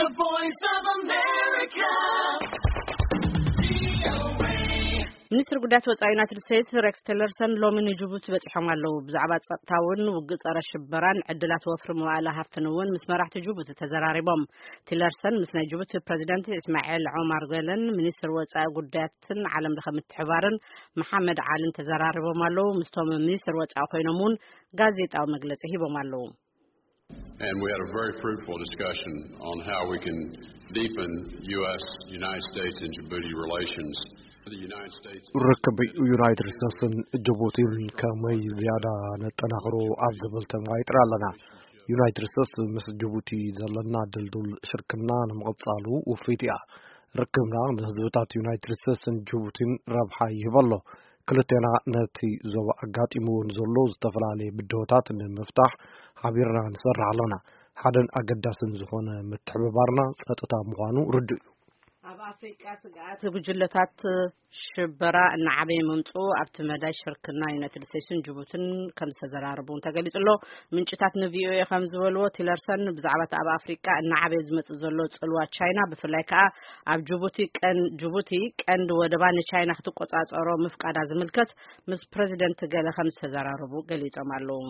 The Voice of America. ሚኒስትር ጉዳያት ወፃኢ ዩናይትድ ስቴትስ ሬክስ ቲለርሰን ሎሚ ንጅቡቲ በፂሖም ኣለዉ። ብዛዕባ ጸጥታ እውን ውግእ ጸረ ሽበራን ዕድላት ወፍሪ መዋእለ ሃፍትን እውን ምስ መራሕቲ ጅቡቲ ተዘራሪቦም። ቲለርሰን ምስ ናይ ጅቡቲ ፕሬዚደንት እስማኤል ዑማር ገለን ሚኒስትር ወፃኢ ጉዳያትን ዓለም ለኸ ምትሕባርን መሓመድ ዓልን ተዘራሪቦም ኣለዉ። ምስቶም ሚኒስትር ወፃኢ ኮይኖም እውን ጋዜጣዊ መግለፂ ሂቦም ኣለዉ። And we had a very fruitful discussion on how we can deepen U S United States and Djibouti relations. The United States ርክብ ዩናይትድ ስቴትስን ጅቡቲን ከመይ ዝያዳ ነጠናኽሮ ኣብ ዝብል ተመዋይጥና ኣለና። ዩናይትድ ስቴትስ ምስ ጅቡቲ ዘለና ድልዱል ሽርክና ንምቕጻሉ ውፍይቲ እያ። ርክብና ንህዝብታት ዩናይትድ ስቴትስን ጅቡቲን ረብሓ ይህብ ኣሎ። ክልቴና ነቲ ዞባ ኣጋጢምዎ ንዘሎ ዝተፈላለየ ብድሆታት ንምፍታሕ ሓቢርና ንሰርሕ ኣለና። ሓደን ኣገዳስን ዝኾነ ምትሕብባርና ጸጥታ ምዃኑ ርዱእ እዩ። ኣብ ኣፍሪቃ ስግኣት ጉጅለታት ሽበራ እናዓበየ ምምፅኡ ኣብቲ መዳይ ሽርክና ዩናይትድ ስቴትስን ጅቡትን ከም ዝተዘራረቡ እውን ተገሊጹ ኣሎ። ምንጭታት ንቪኦኤ ከም ዝበልዎ ቲለርሰን ብዛዕባ እቲ ኣብ ኣፍሪቃ እናዓበየ ዝመፅእ ዘሎ ፅልዋ ቻይና ብፍላይ ከዓ ኣብ ጅቡቲ ቀን ጅቡቲ ቀንዲ ወደባ ንቻይና ክትቆፃፀሮ ምፍቃዳ ዝምልከት ምስ ፕሬዚደንት ገለ ከም ዝተዘራረቡ ገሊጾም ኣለዉ።